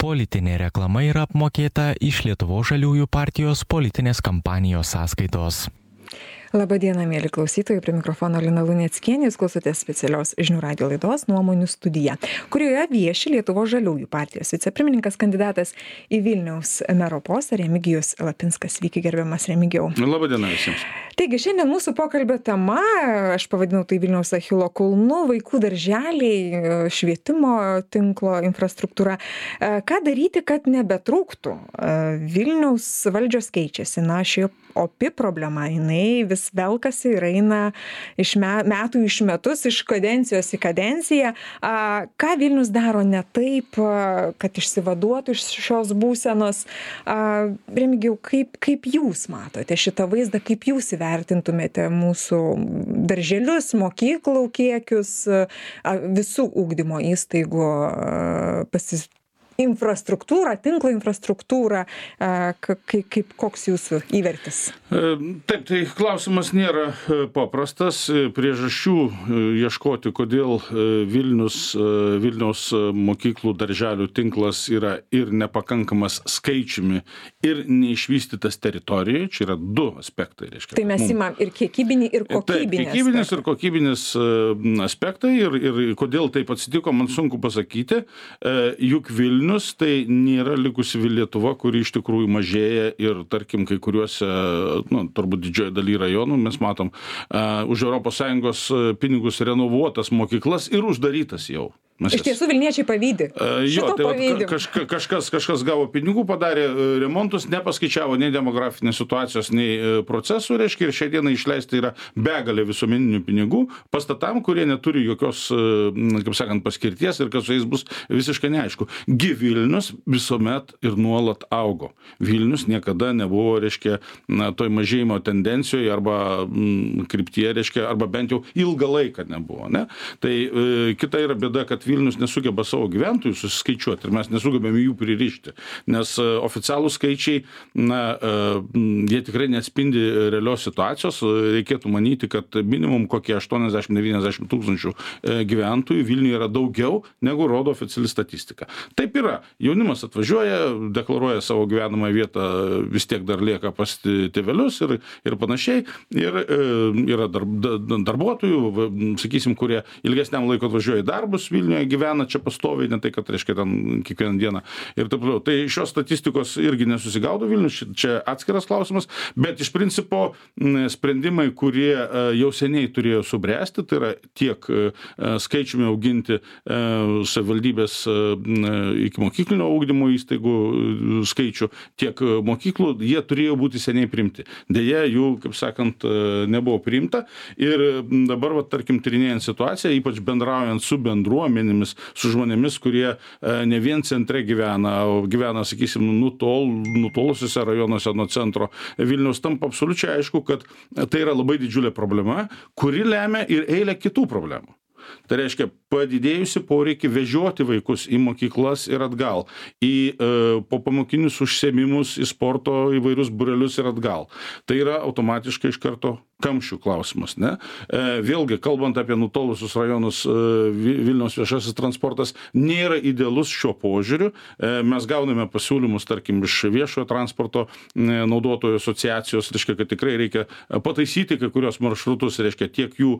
politinė reklama yra apmokėta iš Lietuvos žaliųjų partijos politinės kampanijos sąskaitos. Labadiena, mėly klausytojai, prie mikrofono Lina Luneckienė, jūs klausotės specialios žinių radijo laidos Nuomonių studija, kurioje vieši Lietuvos žaliųjų partijos vicepirmininkas kandidatas į Vilniaus mero postą Remigijus Lapinskas. Sveiki, gerbiamas Remigijau. Labadiena visiems. Taigi, šiandien mūsų pokalbio tema, aš pavadinau tai Vilniaus Achilo kulnu, vaikų darželiai, švietimo tinklo infrastruktūra. Ką daryti, kad nebetrūktų? Vilniaus valdžios keičiasi, ši opi problema, jinai vis velkasi ir eina iš metų iš metus, iš kadencijos į kadenciją. Ką Vilnius daro ne taip, kad išsivaduotų iš šios būsenos? Remigijau, kaip jūs matote šitą vaizdą, kaip jūs įvertintumėte mūsų darželius, mokyklų kiekius, visų ugdymo įstaigų infrastruktūrą, tinklo infrastruktūrą, koks jūsų įvertis? Taip, tai klausimas nėra paprastas. Priežasčių ieškoti, kodėl Vilniaus mokyklų darželių tinklas yra ir nepakankamas skaičiumi, ir neišvystytas teritorijoje. Čia yra du aspektai. Reiškia, tai mes imam ir kiekybinį, ir kokybinį. Taip, kiekybinis ir kokybinis aspektai. Ir kodėl taip atsitiko, man sunku pasakyti. Juk Vilnius tai nėra likusi Lietuva, kuri iš tikrųjų mažėja ir, tarkim, kai kuriuose, turbūt didžioje dalyje rajonų mes matom už ES pinigus renovuotas mokyklas ir uždarytas jau. Iš tiesų Vilniečiai pavydi. Jo, tai kažkas gavo pinigų, padarė remontus, nepaskaičiavo nei demografinės situacijos, nei procesų, reiškia, ir šią dieną išleista yra begalė visuomeninių pinigų pastatam, kurie neturi jokios, kaip sakant, paskirties ir kas su jais bus visiškai neaišku. Vilnius visuomet ir nuolat augo. Vilnius niekada nebuvo, reiškia, toj mažėjimo tendencijoje arba kryptyje, reiškia, arba bent jau ilgą laiką nebuvo. Ne? Tai kita yra bėda, kad Vilnius nesugeba savo gyventojų susiskaičiuoti ir mes nesugebėme jų pririšti, nes oficialūs skaičiai, jie tikrai neatspindi realios situacijos. Reikėtų manyti, kad minimum kokie 80-90 tūkstančių gyventojų Vilniuje yra daugiau, negu rodo oficiali statistika. Taip yra. Jaunimas atvažiuoja, deklaruoja savo gyvenamą vietą, vis tiek dar lieka pas tėvelius ir panašiai. Ir yra darbuotojų, sakysim, kurie ilgesniam laiko atvažiuoja į darbus Vilniuje, gyvena čia pastoviai, ne tai, kad reiškia ten kiekvieną dieną ir taip toliau. Tai šios statistikos irgi nesusigaudo Vilnius, čia atskiras klausimas, bet iš principo sprendimai, kurie jau seniai turėjo subręsti, tai yra tiek skaičiumi auginti savivaldybės iki mokyklinio ugdymo įstaigų skaičių, tiek mokyklų, jie turėjo būti seniai priimti. Deja, jų, kaip sakant, nebuvo priimta ir dabar, tarkim, tyrinėjant situaciją, ypač bendraujant su bendruomenėmis, su žmonėmis, kurie ne vien centre gyvena, o gyvena, sakysim, nutolusiuose rajonuose nuo centro Vilniaus, tampa absoliučiai aišku, kad tai yra labai didžiulė problema, kuri lemia ir eilę kitų problemų. Tai reiškia padidėjusi poreikį vežioti vaikus į mokyklas ir atgal, į popamokinius užsiėmimus, į sporto įvairius būrelius ir atgal. Tai yra automatiškai iš karto kamščių klausimas, ne? Vėlgi, kalbant apie nutolusius rajonus, Vilniaus viešasis transportas nėra idealus šiuo požiūriu. Mes gauname pasiūlymus, tarkim, iš viešojo transporto naudotojų asociacijos, reiškia, kad tikrai reikia pataisyti kai kurios maršrutus, reiškia, tiek jų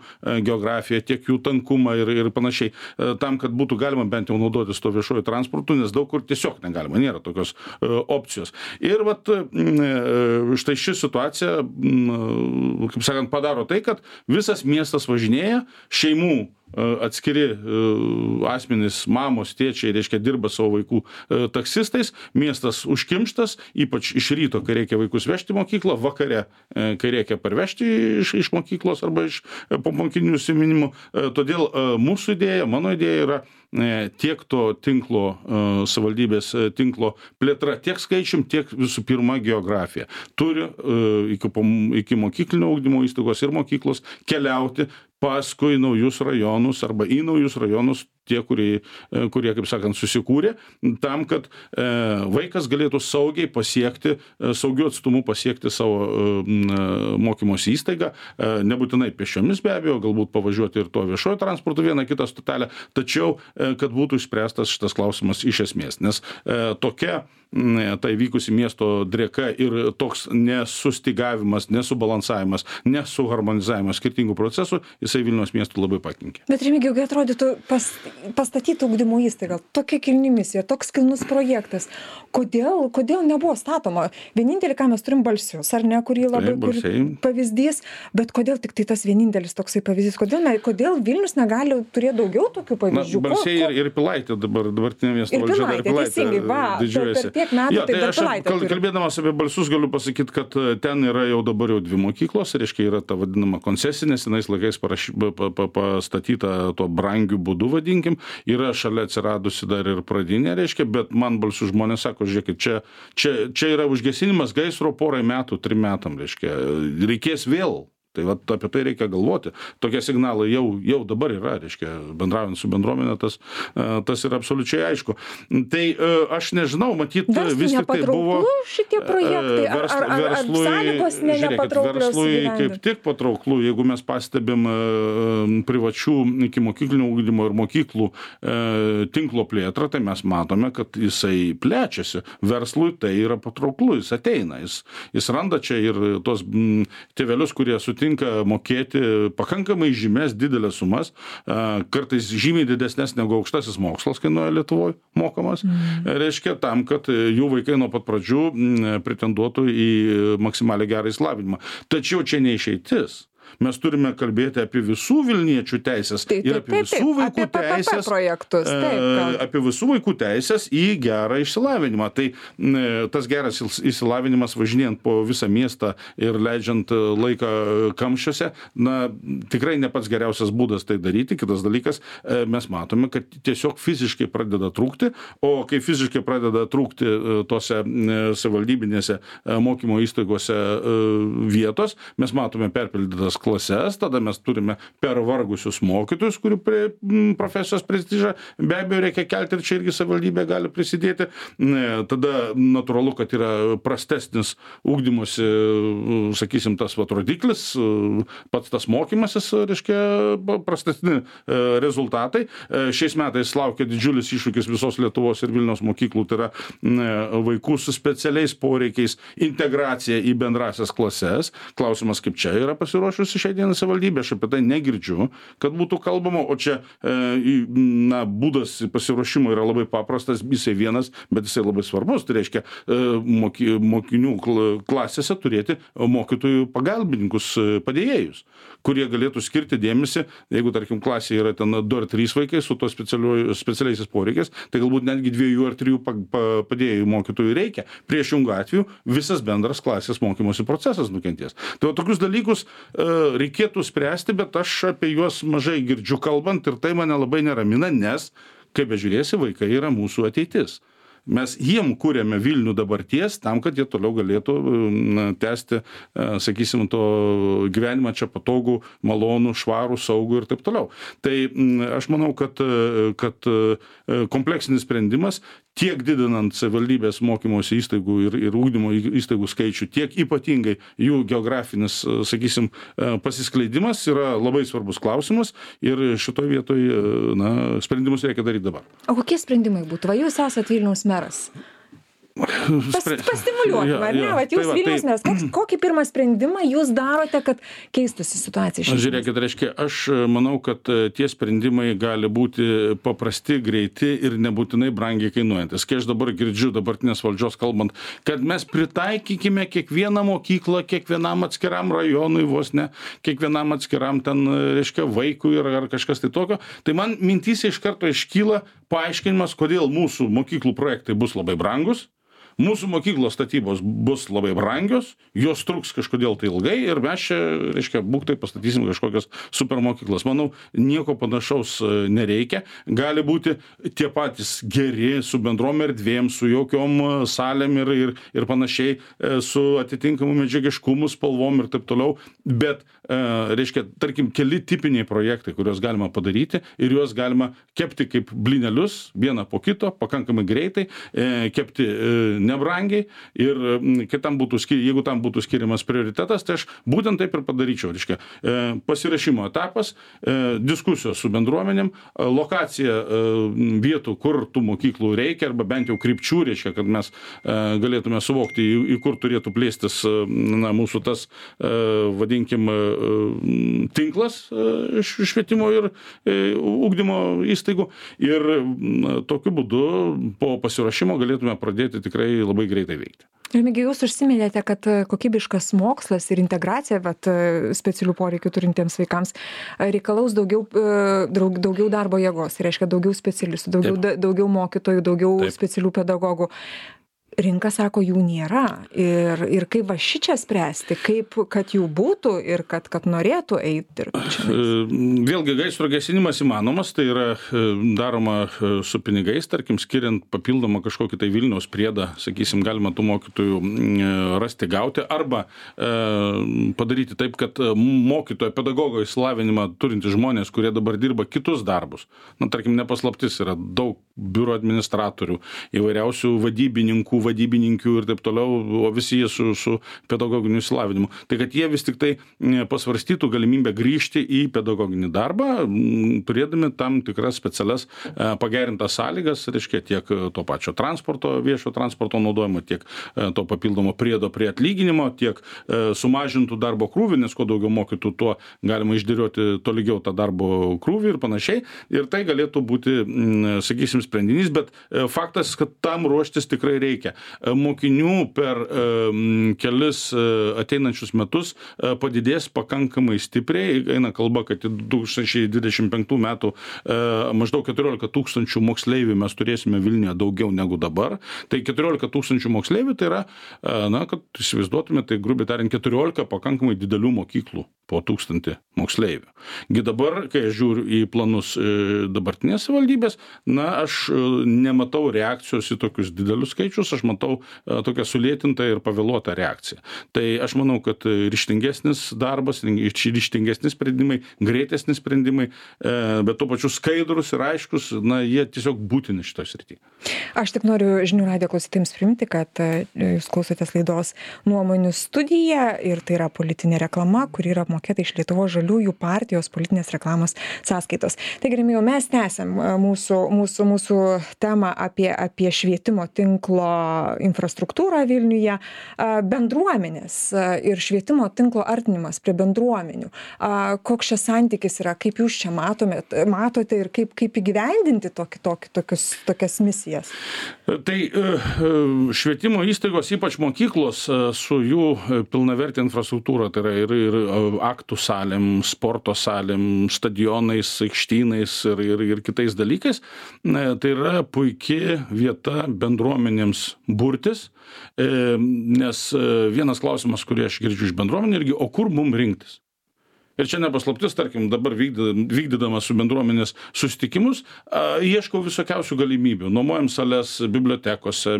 geografiją, tiek jų tankumą ir panašiai, tam, kad būtų galima bent jau naudotis to viešojo transportu, nes daug kur tiesiog negalima, nėra tokios opcijos. Ir štai ši situacija, kaip sakant, padaro tai, kad visas miestas važinėja, šeimų atskiri asmenys, mamos, tėčiai, reiškia, dirba savo vaikų taksistais, miestas užkimštas, ypač iš ryto, kai reikia vaikus vežti į mokyklą, vakare, kai reikia parvežti iš mokyklos arba iš popamokinių užsiėmimų. Todėl mūsų idėja, mano idėja yra tiek to tinklo, savivaldybės tinklo plėtra, tiek skaičium, tiek visų pirma geografija. Turi iki mokyklinio ugdymo įstaigos ir mokyklos keliauti paskui naujus rajonus arba į naujus rajonus tie, kurie, kaip sakant, susikūrė, tam, kad vaikas galėtų saugiai pasiekti, saugiu atstumu pasiekti savo mokymosi įstaigą, nebūtinai pėsčiomis be abejo, galbūt pavažiuoti ir to viešojo transporto vieną kitą stotelę, tačiau, kad būtų išspręstas šitas klausimas iš esmės, nes tokia tai vykusi miesto drėka ir toks nesustygavimas, nesubalansavimas, nesuharmonizavimas skirtingų procesų, jisai Vilniaus miestų labai pakenkė. Bet Remigijau, kai atrodytų pastatyti ugdymo įstaigą, tokia kilni misija, toks kilnus projektas, kodėl nebuvo statoma? Vienintelį, ką mes turim Balsius, ar ne, kurį labai pavyzdys, bet kodėl tik tai tas vienintelis toksai pavyzdys? Kodėl Vilnius negali turėti daugiau tokių pavyzdžių? Balsiai ir Pilaitė dabartinė miesto valdžia dar Pilaitė didžiuojasi. Metų, tai aš kalbėdamas apie Balsius galiu pasakyti, kad ten yra jau dabar jau 2 mokyklos, reiškia yra ta vadinama koncesinė, senais laikais pastatyta tuo brangiu būdu, vadinkim, yra šalia atsiradusi dar ir pradinė, reiškia, bet man Balsių žmonės sako, žiūrėkit, čia yra užgesinimas gaisro 3 metų, reiškia, reikės vėl. Tai vat apie tai reikia galvoti. Tokie signalai jau dabar yra, reiškia, bendraujant su bendruomenė, tas yra absoliučiai aišku. Tai aš nežinau, matyt, vis tik tai buvo šitie projektai, ar sąlygos nepatrauklios verslui kaip tik patrauklų, jeigu mes pastebim privačių iki mokyklinio ugdymo ir mokyklų tinklo plėtrą, tai mes matome, kad jisai plečiasi. Verslui tai yra patrauklų, jis ateina, jis randa čia ir tos tėvelius, kurie sutinka mokėti pakankamai žymės didelės sumas, kartais žymiai didesnės negu aukštasis mokslas kainuoja Lietuvoje mokamas, reiškia tam, kad jų vaikai nuo pat pradžių pretenduotų į maksimaliai gerą išsilavinimą. Tačiau čia neišeitis. Mes turime kalbėti apie visų Vilniečių teisės ir apie visų vaikų teisės, apie visų vaikų teisės į gerą išsilavinimą. Tai tas geras išsilavinimas važinėjant po visą miestą ir leidžiant laiką kamščiuose, tikrai ne pats geriausias būdas tai daryti. Kitas dalykas, mes matome, kad tiesiog fiziškai pradeda trūkti, o kai fiziškai pradeda trūkti tose savivaldybinėse mokymo įstaigose vietos, mes matome perpildytas klases, tada mes turime pervargusius mokytojus, kurių profesijos prestižą be abejo reikia kelti ir čia irgi savivaldybė gali prisidėti. Tada natūralu, kad yra prastesnis ugdymosi, sakysim, tas rodiklis, pats tas mokymasis, reiškia, prastesni rezultatai. Šiais metais laukia didžiulis iššūkis visos Lietuvos ir Vilniaus mokyklų, tai yra vaikų su specialiais poreikiais integracija į bendrasias klases. Klausimas, kaip čia yra pasiruošusi šiai dienai savivaldybė, aš apie tai negirdžiu, kad būtų kalbama, o čia būdas pasiruošimo yra labai paprastas, jisai vienas, bet jisai labai svarbus, tai reiškia mokinių klasėse turėti mokytojų pagalbininkus, padėjėjus, kurie galėtų skirti dėmesį, jeigu, tarkim, klasėje yra ten 2 ar 3 vaikai su to specialiaisiais poreikiais, tai galbūt netgi 2 ar 3 padėjėjų mokytojų reikia. Priešingų atveju visas bendras klasės mokymosi procesas nukentės. Tai tokius dalykus reikėtų spręsti, bet aš apie juos mažai girdžiu kalbant ir tai mane labai neramina, nes, kaip bežiūrėsi, vaikai yra mūsų ateitis. Mes jiem kūrėme Vilnių dabarties tam, kad jie toliau galėtų tęsti, sakysim, to gyvenimą čia patogų, malonų, švarų, saugų ir taip toliau. Tai aš manau, kad kompleksinis sprendimas tiek didinant savivaldybės mokymosi įstaigų ir ūkdymo įstaigų skaičių, tiek ypatingai jų geografinis, sakysim, pasiskleidimas yra labai svarbus klausimas ir šitoje vietoje, sprendimus reikia daryti dabar. O kokie sprendimai būtų? Va, jūs esat Vilniaus meras. Pastimuliuokime, ar ne? Vat jūs Vilniaus meras, kokį pirmą sprendimą jūs darote, kad keistųsi situacija? Žiūrėkit, reiškia, aš manau, kad tie sprendimai gali būti paprasti, greiti ir nebūtinai brangiai kainuojantis. Kai aš dabar girdžiu dabartinės valdžios kalbant, kad mes pritaikykime kiekvieną mokyklą, kiekvienam atskiram rajonui, vos ne, kiekvienam atskiram ten, reiškia, vaikui ar kažkas tai tokio, tai man mintyse iš karto iškyla paaiškinimas, kodėl mūsų mokyklų projektai bus labai brangus, Mūsų mokyklos statybos bus labai brangios, jos truks kažkodėl tai ilgai ir mes čia, reiškia, būktai pastatysim kažkokias supermokyklas. Manau, nieko panašaus nereikia. Gali būti tie patys geri su bendrom erdvėm, su jokiom salėm ir panašiai, su atitinkamu medžiagiškumu, spalvom ir taip toliau, bet, reiškia, tarkim, keli tipiniai projektai, kuriuos galima padaryti ir juos galima kepti kaip blinelius, vieną po kito, pakankamai greitai, kepti nebrangiai ir jeigu tam būtų skiriamas prioritetas, tai aš būtent taip ir padaryčiau. Reiškia, pasirašymo etapas, diskusijos su bendruomenėm, lokacija vietų, kur tų mokyklų reikia, arba bent jau krypčių, reiškia, kad mes galėtume suvokti, į kur turėtų plėstis mūsų tas, vadinkim, tinklas švietimo ir ugdymo įstaigų. Ir tokiu būdu po pasiruošimo galėtume pradėti tikrai labai greitai veikti. Remigijau, jūs užsiminėte, kad kokybiškas mokslas ir integracija specialių poreikių turintiems vaikams reikalaus daugiau darbo jėgos, reiškia daugiau specialistų, daugiau mokytojų, daugiau specialių pedagogų. Rinka sako, jų nėra. Ir kaip va šičia spręsti, kaip, kad jų būtų ir kad norėtų eiti dirbti čia? Vėlgi, gaisro gesinimas įmanomas, tai yra daroma su pinigais, tarkim, skiriant papildomą kažkokį tai Vilniaus priedą, sakysim, galima tų mokytojų rasti, gauti, arba padaryti taip, kad mokytojo pedagogo išsilavinimą turintys žmonės, kurie dabar dirba kitus darbus, tarkim, nepaslaptis, yra daug biuro administratorių, įvairiausių vadybininkių ir taip toliau, o visi jie su pedagoginiu išsilavinimu. Tai kad jie vis tik tai pasvarstytų galimybę grįžti į pedagoginį darbą, turėdami tam tikras specialias pagerintas sąlygas, reiškia tiek to pačio viešo transporto naudojimo, tiek to papildomo priedo prie atlyginimo, tiek sumažintų darbo krūvį, nes kuo daugiau mokytų, tuo galima išdėlioti tolygiau tą darbo krūvį ir panašiai. Ir tai galėtų būti, sakysim, sprendinys, bet faktas, kad tam ruoštis tikrai reikia. Mokinių per kelis ateinančius metus padidės pakankamai stipriai. Eina kalba, kad 2025 metų maždaug 14 000 moksleivių mes turėsime Vilniuje daugiau negu dabar. Tai 14 000 moksleivių tai yra, kad įsivaizduotume, tai grubiai tariant 14 pakankamai didelių mokyklų po 1000 moksleivių. Gi dabar, kai aš žiūriu į planus dabartinės valdybės, aš nematau reakcijos į tokius didelius skaičius, aš matau tokią sulėtintą ir pavėluotą reakciją. Tai aš manau, kad ryžtingesnis darbas, ryžtingesni sprendimai, greitesni sprendimai, bet tuo pačiu skaidrus ir aiškus, jie tiesiog būtini šitoje srityje. Aš tik noriu žinių radijo klausytojams priminti, kad jūs klausotės laidos Nuomonių studija ir tai yra politinė reklama, kuri yra apmokėta iš Lietuvos žaliųjų partijos politinės reklamos sąskaitos. Taigi, Remigijau, mes tęsiam mūsų temą apie švietimo tinklo infrastruktūrą Vilniuje, bendruomenės ir švietimo tinklo artinimas prie bendruomenių. Koks čia santykis yra, kaip jūs čia matote ir kaip įgyvendinti tokias misijas? Tai švietimo įstaigos, ypač mokyklos, su jų pilnavertė infrastruktūra, tai yra ir aktų salėm, sporto salėm, stadionais, aikštynais ir kitais dalykais, tai yra puikia vieta bendruomenėms burtis, nes vienas klausimas, kurį aš girdžiu iš bendruomenė irgi, o kur mum rinktis? Ir čia nepaslaptis, tarkim, dabar vykdydamas su bendruomenės susitikimus, ieškau visokiausių galimybių. Nuomojam sales bibliotekose,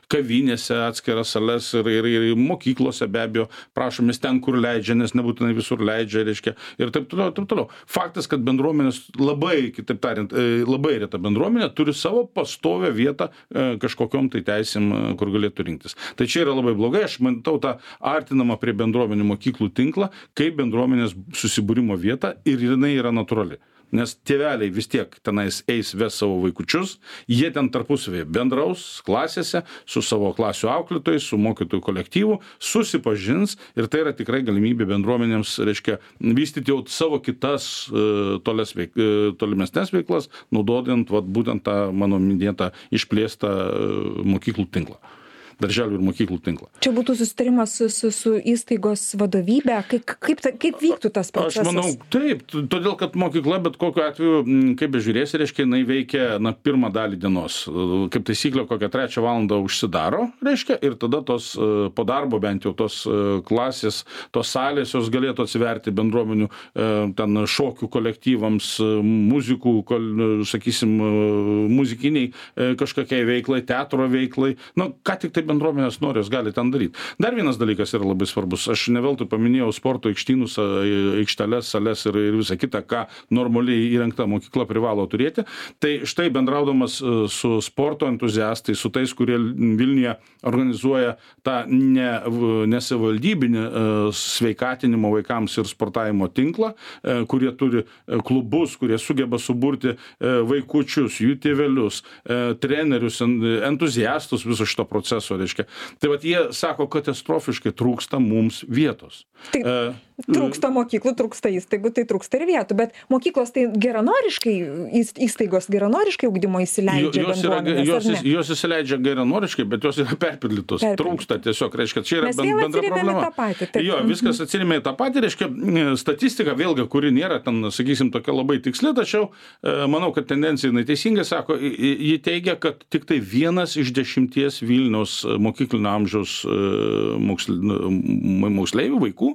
kavinėse atskiras sales ir mokyklose be abejo prašomės ten, kur leidžia, nes nebūtinai visur leidžia, reiškia, ir taip toliau. Faktas, kad bendruomenės kitaip tariant, labai reta bendruomenė turi savo pastovę vietą kažkokiom tai teisėm, kur galėtų rinktis. Tai čia yra labai blogai, aš matau tą artinamą prie bendruomenių mokyklų tinklą, kaip bendruomenės susibūrimo vieta ir jinai yra natūrali. Nes tėveliai vis tiek tenais ves savo vaikučius, jie ten tarpusavėje bendraus klasėse su savo klasių auklėtojais, su mokytojų kolektyvu, susipažins ir tai yra tikrai galimybė bendruomenėms, reiškia, vystyti jau savo kitas tolimesnės veiklas, naudodant būtent tą mano minėtą išplėstą mokyklų tinklą. darželių ir mokyklų tinklą. Čia būtų susitarimas su įstaigos vadovybė, kaip vyktų tas procesas? Aš manau, taip, todėl, kad mokykla, bet kokiu atveju, kaip bežiūrėsi, reiškia, jinai veikia, pirmą dalį dienos. Kaip taisyklė, kokią 3 valandą užsidaro, reiškia, ir tada tos po darbo bent jau tos klasės, tos salės, jos galėtų atsiverti bendruomenių, ten šokių kolektyvams, muzikų, sakysim, muzikiniai kažkokiai veiklai, teatro veiklai. Ką tik tai bendruomenės nori, jos gali ten daryti. Dar vienas dalykas yra labai svarbus. Aš ne veltui paminėjau sporto aikštynus, aikšteles, sales ir visą kitą, ką normaliai įrengta mokykla privalo turėti. Tai štai bendraudamas su sporto entuziastais, su tais, kurie Vilniuje organizuoja tą nesavivaldybinį sveikatinimo vaikams ir sportavimo tinklą, kurie turi klubus, kurie sugeba suburti vaikučius, jų tėvelius, trenerius, entuziastus viso šito proceso, reiškia. Tai vat jie sako, katastrofiškai trūksta mums vietos. Tai trūksta mokyklų, trūksta įstaigų, tai trūksta ir vietų, bet mokyklos tai geranoriškai, įstaigos geranoriškai ugdymo įsileidžia bendruomenės, ar ne? Jos įsileidžia geranoriškai, bet jos yra perpildytos. Trūksta tiesiog, reiškia, čia yra bendra problema. Jo, viskas atsiremia į tą patį, reiškia, statistika vėlgi, kuri nėra ten, sakysim, tokia labai tiksli, tačiau manau, kad tendencija neteisingai sako, ji teigia, kad tik tai 1 iš 10 Vilniaus mokyklinio amžiaus moksleivių vaikų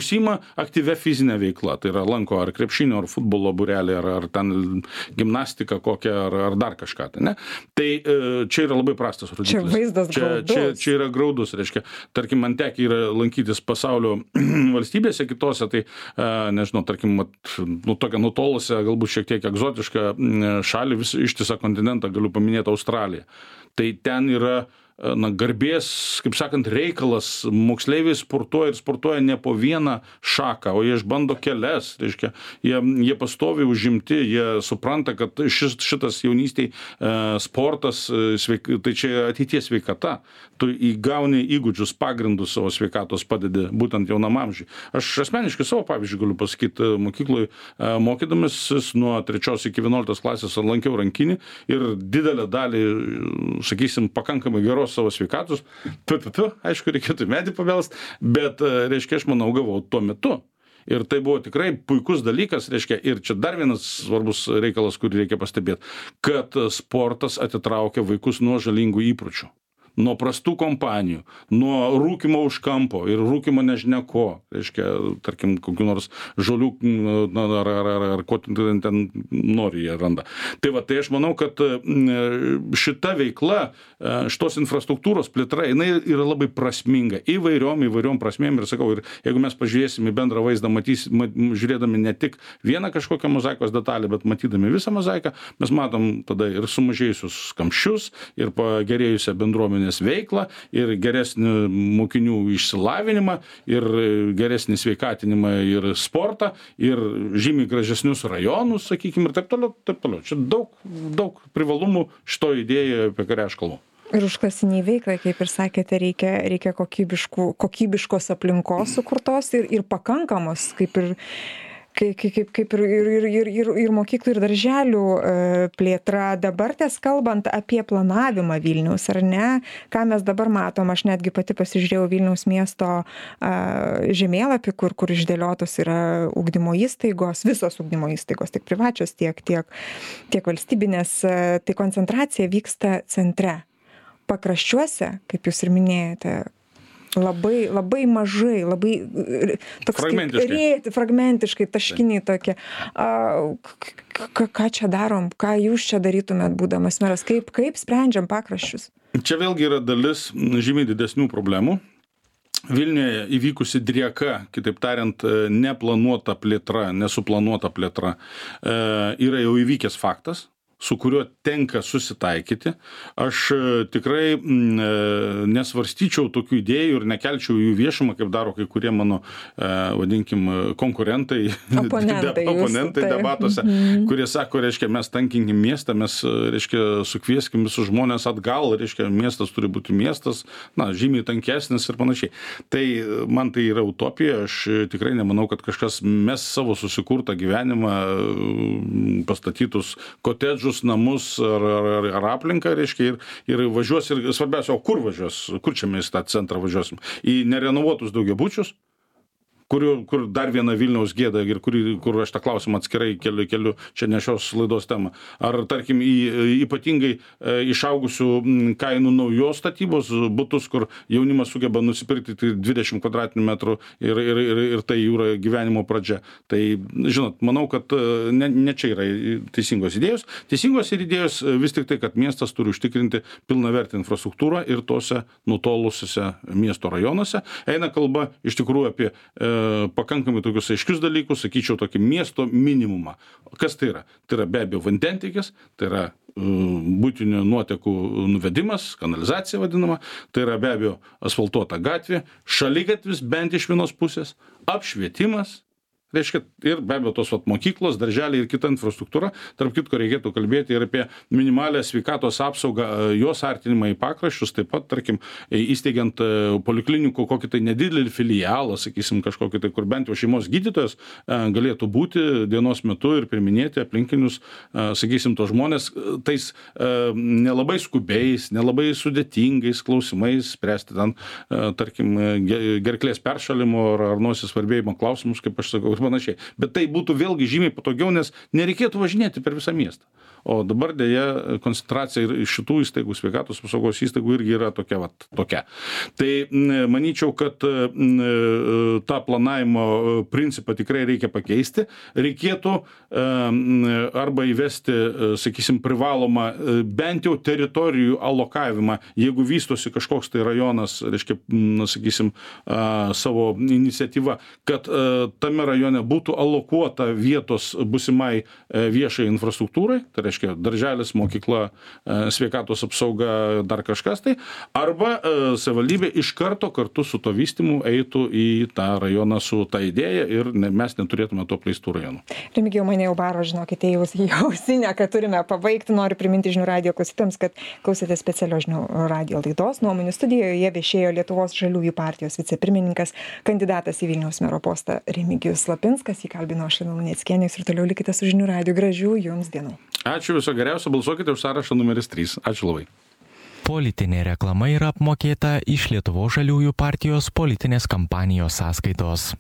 užsiima aktyvia fizinė veikla. Tai yra lanko ar krepšinio, ar futbolo būrelį, ar ten gimnastiką kokią, ar dar kažką. Tai, ne? Tai čia yra labai prastas rodiklis. Čia vaizdas graudus. Čia yra graudus, reiškia. Tarkim, man tekia yra lankytis pasaulio valstybėse kitose, tai nežinau, tarkim, tokią nutolusią, galbūt šiek tiek egzotišką šalį, ištisą kontinentą galiu paminėti Australiją. Tai ten yra garbės, kaip sakant, reikalas, moksleiviai sportuoja ne po vieną šaką, o jie išbando kelias, reiškia, jie pastoviai užimti, jie supranta, kad šitas jaunystėj sportas, tai čia ateities sveikata, tu įgauni įgūdžius, pagrindus savo sveikatos padedi būtent jaunam amžiui. Aš asmeniškai savo pavyzdžiui galiu pasakyti, mokykloje mokydamasis nuo 3 iki 11 klasės lankiau rankinį ir didelę dalį, sakysim, pakankamai geros savo sveikatos, aišku, reikėtų medį pabelst, bet, reiškia, aš manau, gavau tuo metu. Ir tai buvo tikrai puikus dalykas, reiškia, ir čia dar vienas svarbus reikalas, kurį reikia pastebėti, kad sportas atitraukia vaikus nuo žalingų įpročių. Nuo prastų kompanijų, nuo rūkimo už kampo ir rūkimo nežinia ko, reiškia, tarkim, kokių nors žolių ar ko ten nori jie randa. Tai va, tai aš manau, kad šita veikla, šitos infrastruktūros plėtra, jinai yra labai prasminga įvairiom prasmėm ir sakau, ir jeigu mes pažiūrėsime į bendrą vaizdą, žiūrėdami ne tik vieną kažkokią mozaikos detalę, bet matydami visą mozaiką, mes matom tada ir sumažėjusius kamščius, ir pagerėjusią bendruomenę veiklą, ir geresnį mokinių išsilavinimą, ir geresnį sveikatinimą, ir sportą, ir žymiai gražesnius rajonus, sakykime, ir taip toliau, taip toliau. Čia daug privalumų šito idėjoje, apie kurią aš kalbu. Ir užklasiniai veiklai, kaip ir sakėte, reikia kokybiškos aplinkos sukurtos ir pakankamos, kaip ir mokyklų ir darželių plėtra. Dabar kalbant apie planavimą Vilniaus, ar ne, ką mes dabar matom, aš netgi pati pasižiūrėjau Vilniaus miesto žemėlapį, kur išdėliotos yra ugdymo įstaigos, visos ugdymo įstaigos, tiek privačios, tiek valstybinės, tai koncentracija vyksta centre. Pakraščiuose, kaip jūs ir minėjote, labai mažai, labai toks fragmentiškai, taškiniai tokie. Ką čia darom? Ką jūs čia darytumėt, būdamas meras? Kaip sprendžiam pakraščius? Čia vėlgi yra dalis žymiai didesnių problemų. Vilniuje įvykusi drieka, kitaip tariant, neplanuota plėtra, nesuplanuota plėtra, yra jau įvykęs faktas, su kuriuo tenka susitaikyti. Aš tikrai nesvarstyčiau tokių idėjų ir nekelčiau jų viešumą, kaip daro kai kurie mano, vadinkim, konkurentai, oponentai debatuose, kurie sako, reiškia, mes tankinkim miestą, mes, reiškia, sukvieskim visus žmonės atgal, reiškia, miestas turi būti miestas, žymiai tankesnis ir panašiai. Tai man tai yra utopija, aš tikrai nemanau, kad kažkas mes savo susikurtą gyvenimą, pastatytus kotedžus, visus namus ar aplinką, reiškia, ir važiuos, ir svarbiausia, o kur važiuos, kur čia mes tą centrą važiuosim, į nerenovuotus daugiabučius, kur dar viena Vilniaus gėda ir kur aš tą klausimą atskirai keliu čia ne šios laidos temą. Ar, tarkim, į ypatingai išaugusių kainų naujos statybos butus, kur jaunimas sugeba nusipirkti 20 kvadratinių metrų ir tai yra gyvenimo pradžia. Tai, žinot, manau, kad ne čia yra teisingos idėjos. Teisingos ir idėjos vis tik tai, kad miestas turi užtikrinti pilnavertį infrastruktūrą ir tose nutolusiuose miesto rajonuose. Eina kalba iš tikrųjų apie pakankamai tokius aiškius dalykus, sakyčiau, tokį miesto minimumą. Kas tai yra? Tai yra be abejo vandentiekis, tai yra buitinių nuotekų nuvedimas, kanalizacija vadinama, tai yra be abejo asfaltuota gatvė, šaligatvis bent iš vienos pusės, apšvietimas, reiškia, ir be abejo tos mokyklos, darželiai ir kita infrastruktūra. Tarp kitko reikėtų kalbėti ir apie minimalę sveikatos apsaugą, jos artinimą į pakraščius, taip pat, tarkim, įsteigiant poliklinikų kokį tai nedidelį filialą, sakysim, kažkokį tai, kur bent jau šeimos gydytojas galėtų būti dienos metu ir priminėti aplinkinius, sakysim, to žmonės tais nelabai skubiais, nelabai sudėtingais klausimais, spręsti ten, tarkim, gerklės peršalimo ar nosies svarbėjimo klausimus, kaip aš sakau, panašiai. Bet tai būtų vėlgi žymiai patogiau, nes nereikėtų važinėti per visą miestą. O dabar dėja koncentracija ir šitų įstaigų, sveikatos apsaugos įstaigų irgi yra tokia. Tai manyčiau, kad tą planavimo principą tikrai reikia pakeisti. Reikėtų arba įvesti, sakysim, privalomą bent jau teritorijų alokavimą, jeigu vystosi kažkoks tai rajonas, reiškia, sakysim, savo iniciatyva, kad tame rajone būtų alokuota vietos busimai viešai infrastruktūrai, tai reiškia darželis, mokykla, sveikatos apsauga, dar kažkas tai, arba savivaldybė iš karto kartu su to vystymu eitų į tą rajoną su ta idėja ir mes neturėtume to apleistų rajonų. Remigijau, mane jau baro, žinokite, į ausinę, kad turime pabaigti. Noriu priminti žinių radijo klausytams, kad klausėte specialios žinių radijo laidos. Nuomonių studijoje viešėjo Lietuvos žaliųjų partijos vicepirmininkas, kandidatas į Vilniaus mero postą Remigijus Lapinskas. Jį kalbino aš, Lina Luneckienė, ir toliau likite su žinių radijo. Gražių jums dienų. Ačiū, viso geriausio, balsuokite už sąrašą numeris 3. Ačiū labai. Politinė reklama yra apmokėta iš Lietuvos žaliųjų partijos politinės kampanijos sąskaitos.